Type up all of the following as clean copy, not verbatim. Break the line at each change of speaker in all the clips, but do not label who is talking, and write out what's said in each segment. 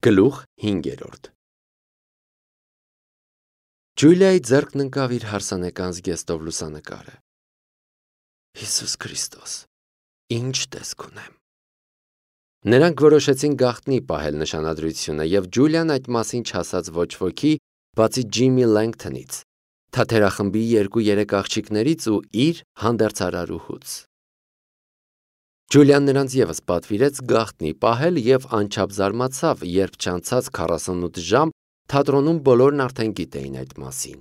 Գլուխ 5 Ջուլիայի ձեռքն ընկավ իր հարսանեկան զգեստով լուսանկարը։ Հիսուս Քրիստոս, ինչ տեսք ունեմ։ Նրանք որոշեցին գաղտնի պահել նշանադրությունը, և Ջուլիան այդ մասին չասաց ոչ ոքի, բացի Ջիմի Լենգթոնից, թատերախմբի 2-3 աղջիկներից ու իր հանդերձարարուհուց։ Ջուլիան նրանց ևս պատվիրեց գաղտնի պահել և անչափ զարմացավ, երբ չանցած 48 ժամ թատրոնում բոլորն արդեն գիտեին այդ մասին։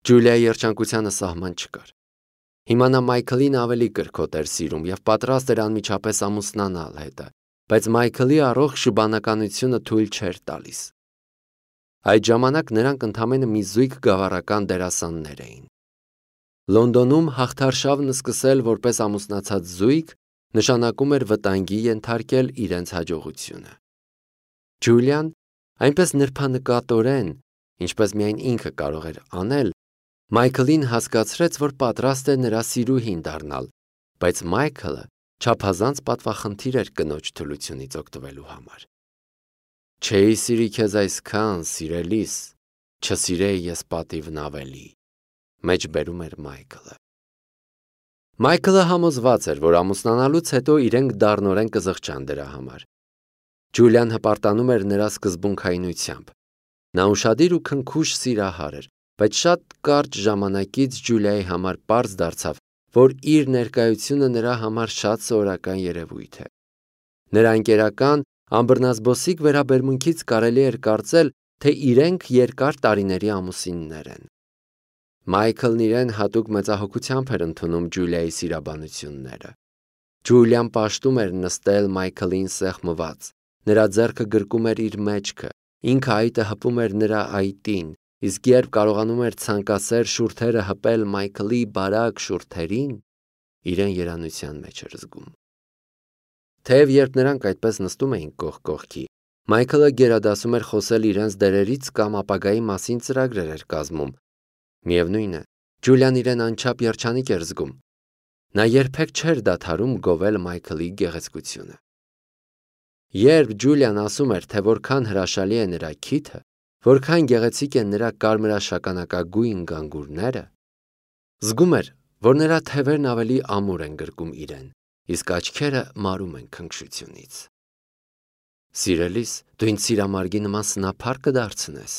Ջուլիայի երջանկությանը սահման չկար։ Հիմա նա Մայքլին ավելի կրքոտ էր սիրում և պատրաստ էր անմիջապես ամուսնանալ հետը, բայց Մայքլի առողջ շուբանականությունը թույլ չէր տալիս։ Այդ ժամանակ նրանք ընդամենը մի զույգ գավառական դերասաններ էին։ Լոնդոնում հաղթարշավն սկսել որպես ամուսնացած զույգ նշանակում էր վտանգի ենթարկել իրենց հաջողությունը։ Ջուլիան այնպես նրբանկատորեն, ինչպես միայն ինքը կարող էր անել, Մայքլին հասկացրեց, որ պատրաստ է նրա սիրուհին դառնալ, բայց Մայքլը չափազանց պատվախնդիր էր կնոջ թուլությունից օգտվելու համար։ Չէի սիրի քեզ այսքան, սիրելիս, չսիրեի ես պատիվն ավելի, մեջբերում էր Մայքլը։ Մայքլը համոզված էր, որ ամուսնանալուց հետո իրենք դառնորեն կզղջան դրա համար։ Ջուլիան հպարտանում էր նրա սկզբունքայնությամբ։ Նա ուշադիր ու քնքուշ սիրահար էր, բայց շատ կարճ ժամանակից Ջուլիայի համար պարզ դարձավ, որ իր ներկայությունը նրա համար շատ սովորական երևույթ է։ Նրա ընկերական, անբռնազբոսիկ վերաբերմունքից կարելի էր կարծել, թե իրենք երկար տարիների ամուսիններ են։ Մայքլն իրեն հատուկ մեծահոգությամբ էր ընդունում Ջուլիայի սիրաբանությունները։ Ջուլիան պաշտում էր նստել Մայքլին սեղմված, նրա ձեռքը գրկում էր իր մեջքը, ինքը այտը հպում էր նրա այտին, իսկ երբ կարողանում էր ցանկասեր շուրթերը հպել Մայքլի բարակ շուրթերին, իրեն երանության մեջ էր զգում։ Թեև երբ նրանք այդպես նստում էին կողք կողքի, Մայքլը գերադասում էր խոսել իրենց դերերից կամ ապագայի մասին ծրագրեր էր կազմում։ Միևնույն է, Ջուլիան իրեն անչափ երջանիկ էր զգում։ Նա երբեք չէր դադարում գովել Մայքլի գեղեցկությունը։ Երբ Ջուլիան ասում էր, թե որքան հրաշալի է նրա քիթը, որքան գեղեցիկ են նրա կարմրաշագանակագույն գանգուրները, զգում էր, որ նրա թևերն ավելի ամուր են գրկում իրեն, իսկ աչքերը մարում են քնքշությունից։ Սիրելիս, դու ինձ սիրամարգի նման սնափառ կդարձնես։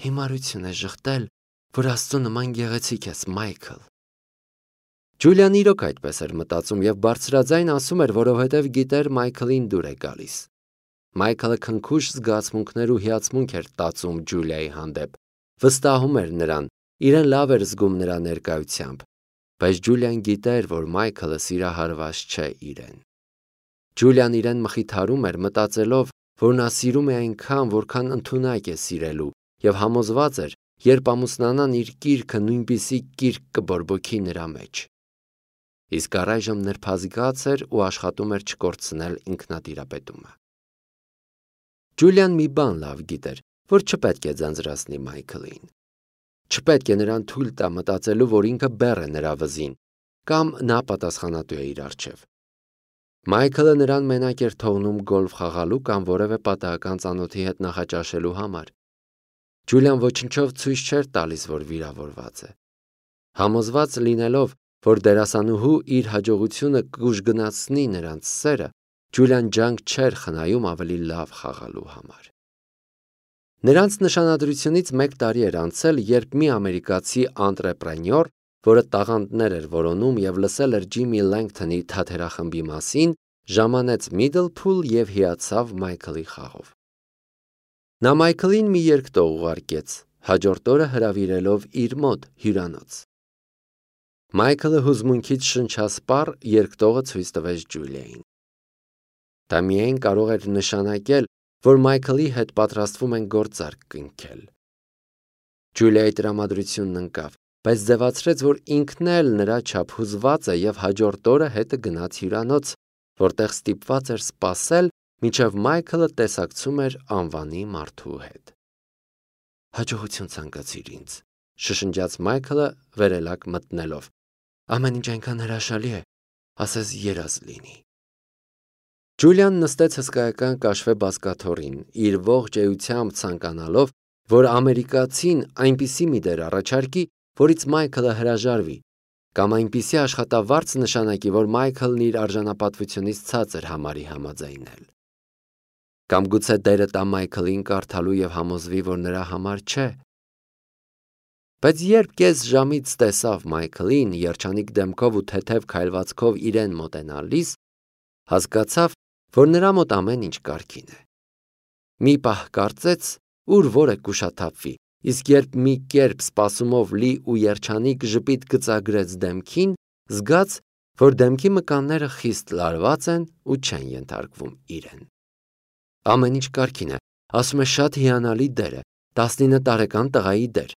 Հիմարություն է ժխտել, որ Աստծո նման գեղեցիկ ես, Մայքլ։ Ջուլիան իրոք այդպես էր մտածում և բարձրաձայն ասում էր, որովհետև գիտեր Մայքլին դուր է գալիս։ Մայքլը քնքուշ զգացմունքներ ու հիացմունք էր տածում Ջուլիայի հանդեպ, վստահում էր նրան, իրեն լավ էր զգում նրա ներկայությամբ, բայց Ջուլիան գիտեր, որ Մայքլը սիրահարված չէ իրեն։ Ջուլիան իրեն մխիթարում էր, մտածելով, որ նա սիրում է այնքան, որքան ընդունակ է սիրելու, և համոզված էր, երբ ամուսնանան իր կիրքը նույնպիսի կիրք կբորբոքի նրա մեջ։ Իսկ առայժմ նրբազգաց էր ու աշխատում էր չկորցնել ինքնատիրապետումը։ Ջուլիան մի բան լավ գիտեր, որ չպետք է ձանձրացնի Մայքլին։ Չպետք է նրան թույլ տա մտածելու, որ ինքը բեռ է նրա վզին, կամ նա պատասխանատու է իր առջև։ Մայքլը նրան մենակ էր թողնում գոլֆ խաղալու կամ որևէ պատահական ծանոթի հետ նախաճաշելու համար։ Ջուլիան ոչնչով ցույց չէր տալիս, որ վիրավորված է։ Համոզված լինելով, որ դերասանուհու իր հաջողությունը կուժգնացնի նրանց սերը, Ջուլիան ջանք չէր խնայում ավելի լավ խաղալու համար։ Նրանց նշանադրությունից 1 տարի էր անցել, երբ մի ամերիկացի անտրեպրենյոր, որը տաղանդներ էր որոնում և լսել էր Ջիմի Լենգթոնի թատերախմբի մասին, ժամանեց Միդլփուլ և հիացավ Մայքլի խաղով։ Նա Մայքլին մի երկտող ուղարկեց, հաջորդ օրը հրավիրելով իր մոտ հյուրանոց։ Մայքլը հուզմունքից շնչասպառ երկտողը ցույց տվեց Ջուլիային։ Դա միայն կարող էր նշանակել, որ Մայքլի հետ պատրաստվում են գործարք կնքել։ Ջուլիայի տրամադրությունն ընկավ, բայց ձևացրեց, որ ինքն էլ նրա չափ հուզված է և հաջորդ օրը հետը գնաց հյուրանոց, որտեղ ստիպված էր սպասել, մինչև Մայքլը տեսակցում էր անվանի մարդու հետ։ Հաջողություն ցանկացիր ինձ, շշնջաց Մայքլը վերելակ մտնելով։ Ամեն ինչ այնքան հրաշալի է, ասես երազ լինի։ Ջուլիան նստեց հսկայական կաշվե բազկաթոռին, իր ողջ էությամբ ցանկանալով, որ ամերիկացին այնպիսի մի դեր առաջարկի, որից Մայքլը հրաժարվի, կամ այնպիսի աշխատավարձ նշանակի, որ Մայքլն իր արժանապատվությունից ցածր համարի համաձայնել։ Կամ գուցե դերը տա Մայքլին կարդալու եւ համոզվի, որ նրա համար չէ։ Բայց երբ կես ժամից տեսավ Մայքլին երջանիկ դեմքով ու թեթև քայլվածքով իրեն մոտենալիս, հասկացավ, որ նրա մոտ ամեն ինչ կարգին է։ Մի պահ կարծեց, ուր որը կուշաթափվի, իսկ երբ մի կերպ սպասումով լի ու երջանիկ ժպիտ գծագրեց դեմքին, զգաց, որ դեմքի մկանները խիստ լարված են ու չեն ենթարկվում իրեն։ Ամեն ինչ կարգին է, ասում է շատ հիանալի դեր է, 19 տարեկան տղայի դեր,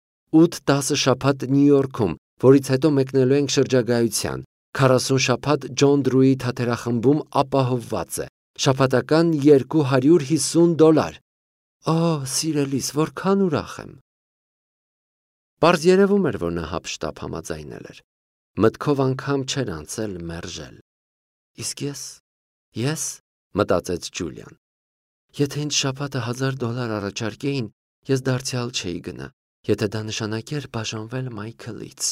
8-10 շաբաթ Նյու Յորքում, որից հետո մեկնելու ենք շրջագայության, 40 շաբաթ Ջոն Դրուի թատերախմբում ապահովված է, շաբաթական $250։ Օ, սիրելիս, որքան ուրախ եմ։ Պարզ երևում էր, որ նա հափշտապ համաձայնել էր։ Մտքով անգամ չէր անցել մերժել։ Իսկ ես, մտածեց Ջուլիան։ Եթե ինձ շաբաթը $1000 առաջարկեին, ես դարձյալ չէի գնա, եթե դա նշանակեր բաժանվել Մայքլից։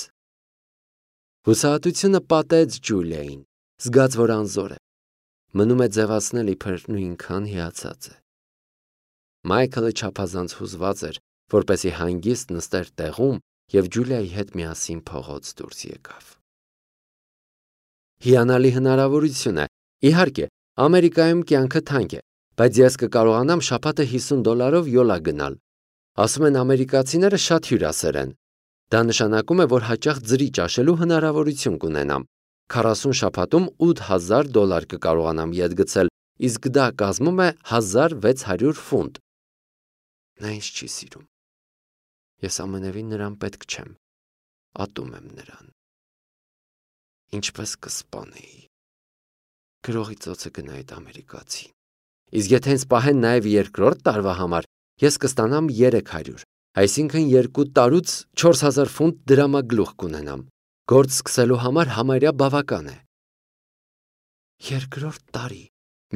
Հուսահատությունը պատեց Ջուլիային, զգաց, որ անզոր է։ Մնում է ձևացնել իբր նույնքան հիացած է։ Մայքլը չափազանց հուզված էր, որպեսզի հանգիստ նստեր տեղում և Ջուլիայի հետ միասին փողոց դուրս եկավ։ Հիանալի հնարավորություն է, իհարկե, Ամերիկայում կյանքը թանկ է, բայց ես կկարողանամ շաբաթը $50 յոլա գնալ։ Ասում են ամերիկացիները շատ հյուրասեր են։ Դա նշանակում է, որ հաճախ ձրի ճաշելու հնարավորություն կունենամ։ 40 շաբաթում $8000 կկարողանամ ետ գցել, իսկ դա կազմում է $1600։ Նա ինձ չի սիրում։ Ես ամենևին նրան պետք չեմ։ Ատում եմ նրան։ Ինչպես կսպանեի։ Գրողի ծոցը գնա այդ ամերիկացին։ Իսկ եթե ինձ պահեն նաև երկրորդ տարվա համար, ես կստանամ 300, այսինքն 2 տարուց 4000 ֆունտ դրամագլուխ կունենամ։ Գործ սկսելու համար համարյա բավական է։ Երկրորդ տարի։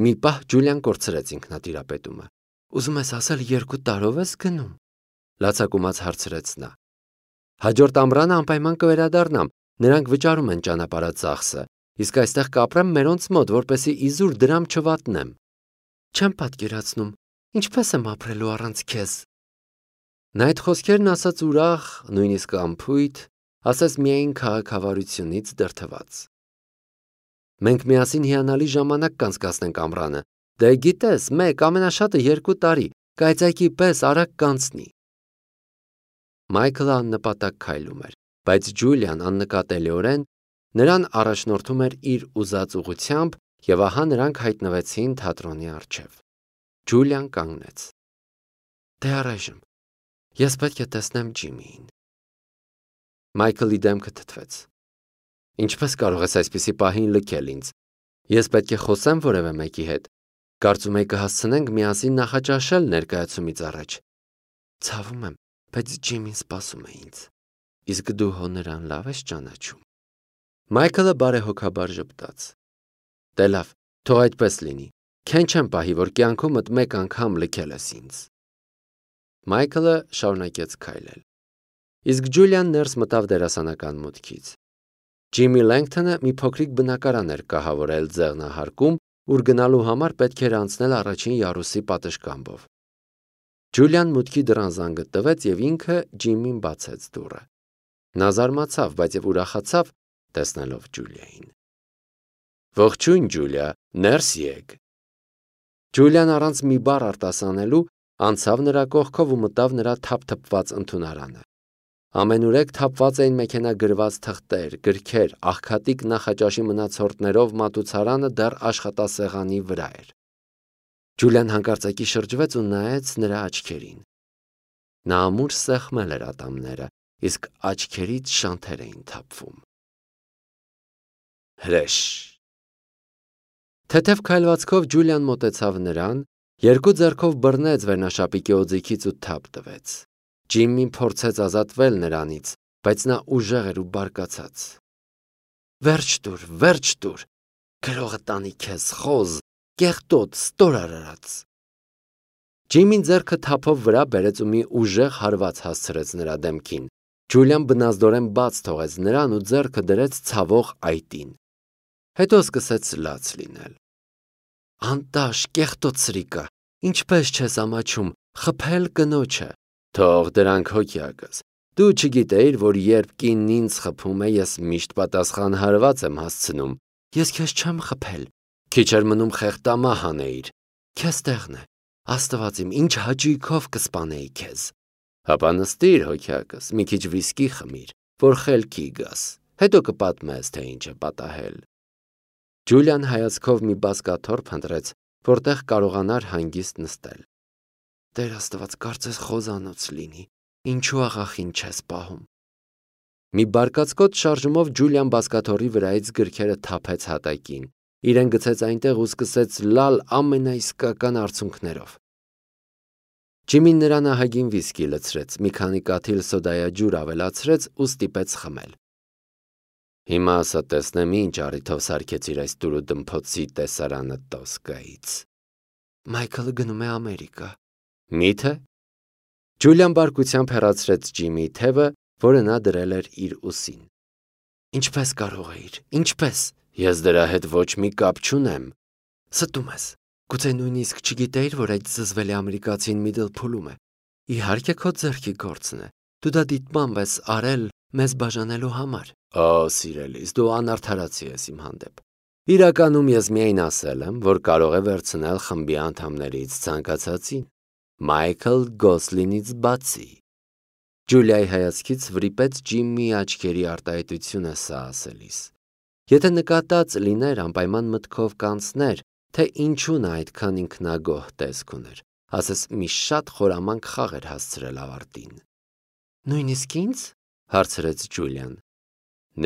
Մի պահ Ջուլիան կորցրեց ինքնատիրապետումը։ Ուզում ես ասել 2 տարով ես գնում։ Լացակումած հարցրեց նա։ Հաջորդ ամռանը անպայման կվերադառնամ, նրանք վճարում են ճանապարհածախսը, իսկ այստեղ կապրեմ մերոնց մոտ, որպեսզի իզուր դրամ չվատնեմ։ Չեմ պատկերացնում, ինչպես եմ ապրելու առանց քեզ։ Նա այդ խոսքերն ասաց ուրախ, նույնիսկ անփույթ, ասես միայն քաղաքավարությունից դրդված։ Մենք միասին հիանալի ժամանակ կանցկացնենք ամռանը։ Դե գիտես, մեկ ամենաշատը 2 տարի, կայծակի պես արագ կանցնի։ Մայքլը աննպատակ քայլում էր, բայց Ջուլիան աննկատելիորեն նրան առաջնորդում էր իր ուզած ուղղությամբ, եւ ահա նրանք հայտնվեցին թատրոնի առջև։ Ջուլիան կանգնեց։ Դե առայժմ ես պետք է տեսնեմ Ջիմիին։ Մայքլի դեմքը թթվեց։ Ինչպես կարող ես այսպիսի պահին լքել ինձ։ Ես պետք է խոսեմ որևէ մեկի հետ։ Կարծում եի կհասցնենք միասին նախաճաշել ներկայացումից առաջ։ Ցավում եմ, բայց Ջիմին սպասում է ինձ։ Իսկ դու հո նրան լավ ես ճանաչում։ Մայքլը բարեհոգաբար ժպտաց։ Դե լավ, թող այդպես լինի։ Քեն չեմ պահի, որ կյանքումդ մեկ անգամ լքել ես ինձ։ Մայքլը շարունակեց քայլել։ Իսկ Ջուլիան ներս մտավ դերասանական մուտքից։ Ջիմի Լենգթոնը մի փոքրիկ բնակարան էր կահավորել ձեղնահարկում, ուր գնալու համար պետք էր անցնել առաջին յարուսի պատշգամբով։ Ջուլիան մուտքի դռան զանգը տվեց եւ ինքը Ջիմին բացեց դուռը։ Նա զարմացավ, բայց եւ ուրախացավ տեսնելով Ջուլիային։ Ողջույն, Ջուլիա, ներս եկ։ Ջուլիան առանց մի բառ արտասանելու անցավ նրա կողքով ու մտավ նրա թափթփված ընդունարանը։ Ամենուրեք թափված էին մեքենագրված թղթեր, գրքեր, աղքատիկ նախաճաշի մնացորդներով մատուցարանը դեռ աշխատասեղանի վրա էր։ Ջուլիան հանկարծակի շրջվեց ու նայեց նրա աչքերին։ Նա ամուր սեղմել էր ատամները, իսկ աչքերից շանթեր էին թափվում։ Հրեշ։ Թեթև քայլվածքով Ջուլիան մոտեցավ նրան, երկու ձեռքով բռնեց վերնաշապիկի օձիքից ու թափ տվեց։ Ջիմին փորձեց ազատվել նրանից, բայց նա ուժեղ էր ու բարկացած։ Վերջ տուր, գրողը տանի քեզ, խոզ, կեղտոտ, ստորարարած։ Ջիմին ձեռքը թափով վրա բերեց ու մի ուժեղ հարված հասցրեց նրա դեմքին։ Ջուլիան բնազդորեն բաց թողեց նրան ու ձեռքը դրեց ցավող այտին։ Հետո սկսեց լաց լինել։ Անտաշ, կեղտոտ սրիկա, ինչպես չես ամաչում, խփել կնոջը։ Թող դրանք հոգյակս։ Դու չգիտեիր, որ երբ կինն ինձ խփում է, ես միշտ պատասխան հարված եմ հասցնում։ Ես քեզ չեմ խփել։ Քիչ էր մնում խեղտամահ անեիր։ Քեզ տեղն է։ Աստված իմ, ինչ հաճույքով կսպանեի քեզ։ Հապա նստիր հոգյակս, մի քիչ վիսկի խմիր, որ խելքի գաս։ Հետո կպատմես, թե ինչ է պատահել։ Ջուլիան հայացքով մի բազկաթոռ փնտրեց, որտեղ կարողանար հանգիստ նստել։ Տեր Աստված, կարծես խոզանոց լինի, ինչու աղախին չես պահում։ Մի բարկացկոտ շարժումով Ջուլիան բազկաթոռի վրայից գրքերը թափեց հատակին, իրեն գցեց այնտեղ ու սկսեց լալ ամենաիսկական արցունքներով։ Ջիմին նրան ահագին վիսկի լցրեց, մի քանի կաթիլ սոդայաջուր ավելացրեց ու ստիպեց խմել։ Հիմա ասա տեսնեմ ինչ առիթով սարքեցիր այս դուրու դմփոցի տեսարանը Տոսկայից։ Մայքլը գնում է Ամերիկա։ Մի՞թե։ Ջուլիան բարկությամբ հեռացրեց Ջիմի թևը, որը նա դրել էր իր ուսին։ Ինչպես կարող էիր, ինչպես։ Ես դրա հետ ոչ մի կապ չունեմ։ Ստում ես։ Գուցե նույնիսկ չգիտեիր, որ այդ զզվելի ամերիկացին Միդլփուլում է։ Իհարկե քո ձեռքի գործն է։ Դու դա դիտմամբ ես արել մեզ բաժանելու համար։ Օ, սիրելիս, դու անարդարացի ես իմ հանդեպ։ Իրականում ես միայն ասել եմ, որ կարող է վերցնել խմբի անդամներից ցանկացածին։ Մայքլ Գոսլինից բացի։ Ջուլիայի հայացքից վրիպեց Ջիմի աչքերի արտահայտությունը սա ասելիս։ Եթե նկատած լիներ անպայման մտքով կանցներ, թե ինչու նա այդքան ինքնագոհ տեսք ուներ, ասես մի շատ խորամանկ խաղ էր հասցրել ավարտին։ Նույնիսկ ինձ, հարցրեց Ջուլիան։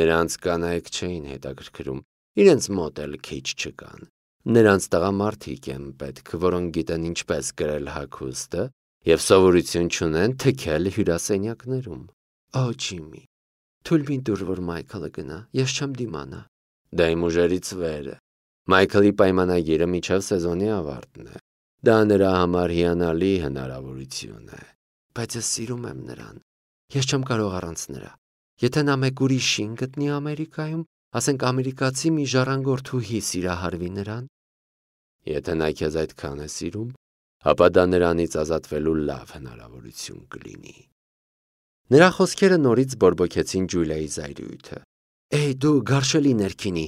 Նրանց կանայք չէին հետաքրքրում, իրենց մոտ էլ քիչ չկան։ Նրանց տղամարդիկ են պետք, որոնք գիտեն ինչպես գրել հագուստը և սովորություն չունեն թքել հյուրասենյակներում։ Օ, Ջիմի, թույլ մի տուր, որ Մայքլը գնա, ես չեմ դիմանա։ Դա իմ ուժերից վեր է։ Մայքլի պայմանագիրը մինչև սեզոնի ավարտն է։ Դա նրա համար հիանալի հնարավորություն է։ Բայց ես սիրում եմ նրան։ Ես չեմ կարող առանց նրա։ Եթե նա մեկ ուրիշին գտնի Ամերիկայում, ասենք ամերիկացի մի ժառանգորդուհի սիրահարվի նրան։ Եթե նա քեզ այդքան է սիրում, ապա դա նրանից ազատվելու լավ հնարավորություն կլինի։ Նրա խոսքերը նորից բորբոքեցին Ջուլիայի զայրույթը։ Էй, դու գարշելի ներքինի,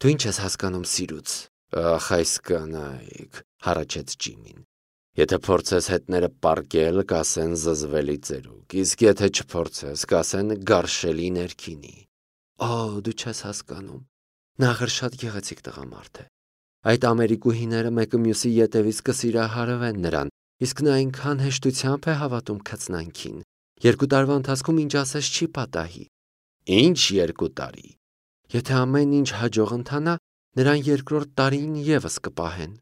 դու ինչ ես հասկանում սիրուց։ Ախ, այս կանայք, հառաչեց Ջիմին։ Եթե փորձես հետները պառկել, կասեն զզվելի ծերուկ, իսկ եթե չփորձես, կասեն գարշելի ներքինի։ Օ, դու չես հասկանում։ Նա ախր շատ գեղեցիկ տղամարդ է։ Այդ ամերիկուհիները մեկը մյուսի ետևից կսիրահարվեն նրան, իսկ նա այնքան հեշտությամբ է հավատում քծնանքին։ 2 տարվա ընթացքում ինչ ասես չի պատահի։ Ինչ 2 տարի։ Եթե ամեն ինչ հաջող ընթանա, նրան 2-րդ տարին ևս կպահեն։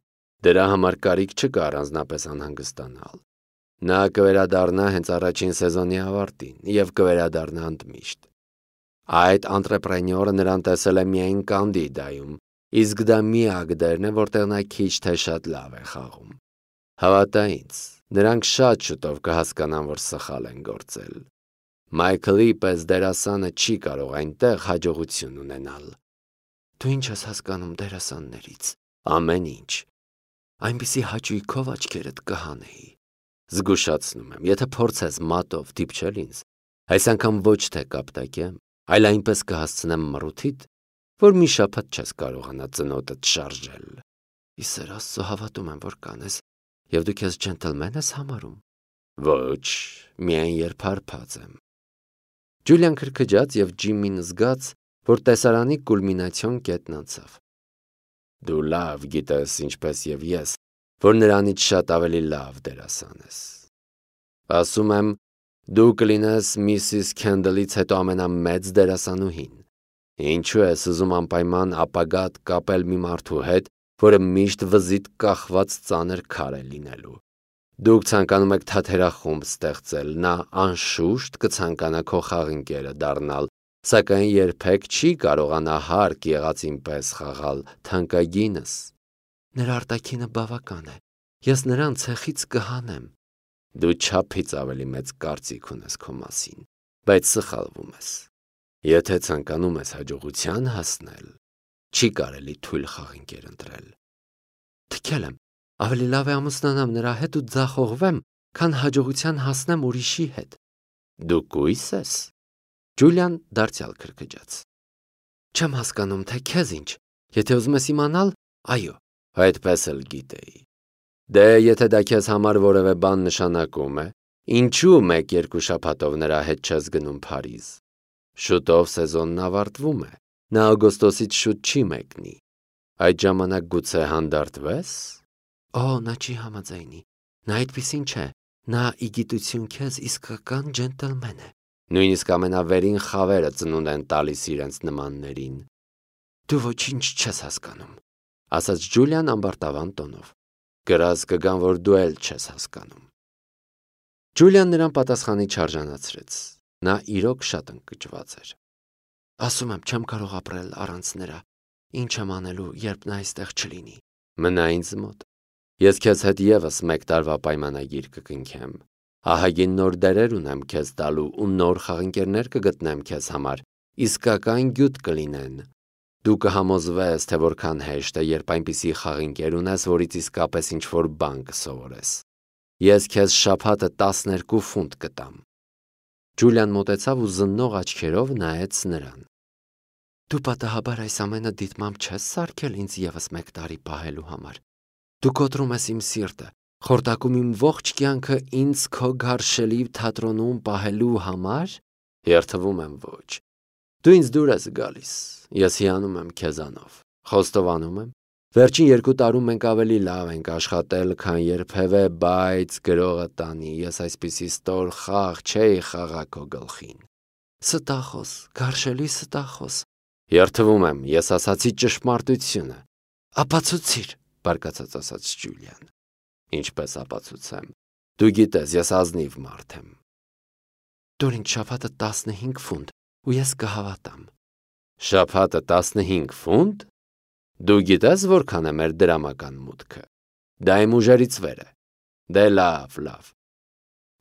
Դրա համար կարիք չկա առանձնապես անհանգստանալ։ Նա կվերադառնա հենց առաջին սեզոնի ավարտին և կվերադառնա ընդմիշտ։ Այդ անտրեպրենյորը նրան տեսել է միայն Կանդիդայում, իսկ դա միակ դերն է, որտեղ նա քիչ թե շատ լավ է խաղում։ Հավատա ինձ, նրանք շատ շուտով կհասկանան, որ սխալ են գործել։ Մայքլի պես դերասանը չի կարող այնտեղ հաջողություն ունենալ։ Դու ինչ ես հասկանում դերասաններից։ Ամեն ինչ։ Այնպիսի հաճույքով աչքերդ կհանեի։ Զգուշացնում եմ, եթե փորձես մատով դիպչել ինձ, այս անգամ ոչ թե կապտակեմ, այլ այնպես կհասցնեմ մռութիդ, որ մի շաբաթ չես կարողանա ծնոտդ շարժել։ Իսեր Աստծո հավատում եմ, որ կանես, և դու քեզ ջենտլմեն ես համարում։ Ոչ, միայն երբ հարբած եմ։ Ջուլիան քրքջաց և Ջիմին զգաց, որ տեսարանի կուլմինացիոն կետն անցավ։ Դու լավ գիտես, ինչպես և ես, որ նրանից շատ ավելի լավ դերասան ես։ Ասում եմ, դու կլինես Միսիս Քենդլից հետո ամենամեծ դերասանուհին։ Ինչու ես ուզում անպայման ապագադ կապել մի մարդու հետ, որը միշտ վզիդ կախված ծանր քար է լինելու։ Դուք ցանկանում եք թատերախումբ ստեղծել, նա անշուշտ կցանկանա քո խաղընկերը դառնալ, սակայն երբեք չի կարողանա հարկ եղածին պես խաղալ թանկագինս։ Նրա արտաքինը բավական է։ Ես նրան ցեխից կհանեմ։ Դու չափից ավելի մեծ կարծիք ունես քո մասին, բայց սխալվում ես։ Եթե ցանկանում ես հաջողության հասնել, չի կարելի թույլ խաղինկեր ընտրել։ Թքել եմ, ավելի լավ է ամուսնանամ նրա հետ ու ձախողվեմ, քան հաջողության հասնեմ ուրիշի հետ։ Դու կույս ես։ Ջուլիան դարձյալ քրքջաց։ Չեմ հասկանում, թե քեզ ինչ։ Եթե ուզում ես իմանալ, այո, այդպես էլ գիտեի։ Դե եթե դա քեզ համար որևէ բան նշանակում է, ինչու 1-2 շաբաթով նրա հետ չես գնում Փարիզ։ Շուտով սեզոնն ավարտվում է։ Նա օգոստոսից շուտ չի մեկնի։ Այդ ժամանակ գուցե հանդարտվես։ Օ, նա չի համաձայնի։ Նա այդպիսին չէ։ Նա ի գիտություն քեզ իսկական ջենտլմեն է։ Նույնիսկ ամենավերին խավերը ծնունդ են տալիս իրենց նմաններին։ Դու ոչինչ չես հասկանում, ասաց Ջուլիան ամբարտավան տոնով։ Գրած կգան, որ դու էլ չես հասկանում։ Ջուլիան նրան պատասխանի չարժանացրեց։ Նա իրոք շատ ընկճված էր։ Ասում եմ, չեմ կարող ապրել առանց նրա։ Ինչ եմ անելու, երբ նա այստեղ չլինի։ Մնա ինձ մոտ։ Ես քեզ հետ եւս 1 տարվա պայմանագիր կկնքեմ։ Ահագին նոր դերեր ունեմ քեզ տալու ու նոր խաղընկերներ կգտնեմ քեզ համար, իսկական գյուտ կլինեն։ Դու կհամոզվես, թե որքան հեշտ է, երբ այնպիսի խաղինկեր ունես, որից իսկապես ինչ-որ բան կսովորես։ Ես քեզ շաբաթը 12 ֆունտ կտամ։ Ջուլիան մոտեցավ ու զննող աչքերով նայեց նրան։ Դու պատահաբար այս ամենը դիտմամբ չես սարքել ինձ եւս 1 տարի պահելու համար։ Դու կոտրում ես իմ սիրտը, խորտակում իմ ողջ կյանքը ինձ քո գարշելի թատրոնում պահելու համար։ Երթվում եմ ոչ։ Դու ինձ դուր ես գալիս, ես հիանում եմ քեզանով, խոստովանում եմ, վերջին 2 տարում մենք ավելի լավ ենք աշխատել, քան երբևէ, բայց գրողը տանի, ես այսպիսի ստոր խաղ չէի խաղա քո գլխին։ Ստախոս, գարշելի ստախոս։ Երթվում եմ, ես ասացի ճշմարտությունը։ Ապացուցիր, բարկացած ասաց Ջուլիան։ Ինչպես ապացուցեմ։ Դու գիտես, ես ազնիվ մարդ եմ։ Դուր ինձ շաբաթը 15 ֆունտ, ու ես կհավատամ։ Շաբաթը 15 ֆունտ։ Դու գիտես որքան է մեր դրամական մուտքը։ Դա իմ ուժերից վեր է։ Դե լավ։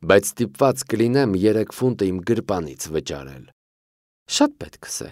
Բայց ստիպված կլինեմ 3 ֆունտը իմ գրպանից վճարել։ Շատ պետքս է։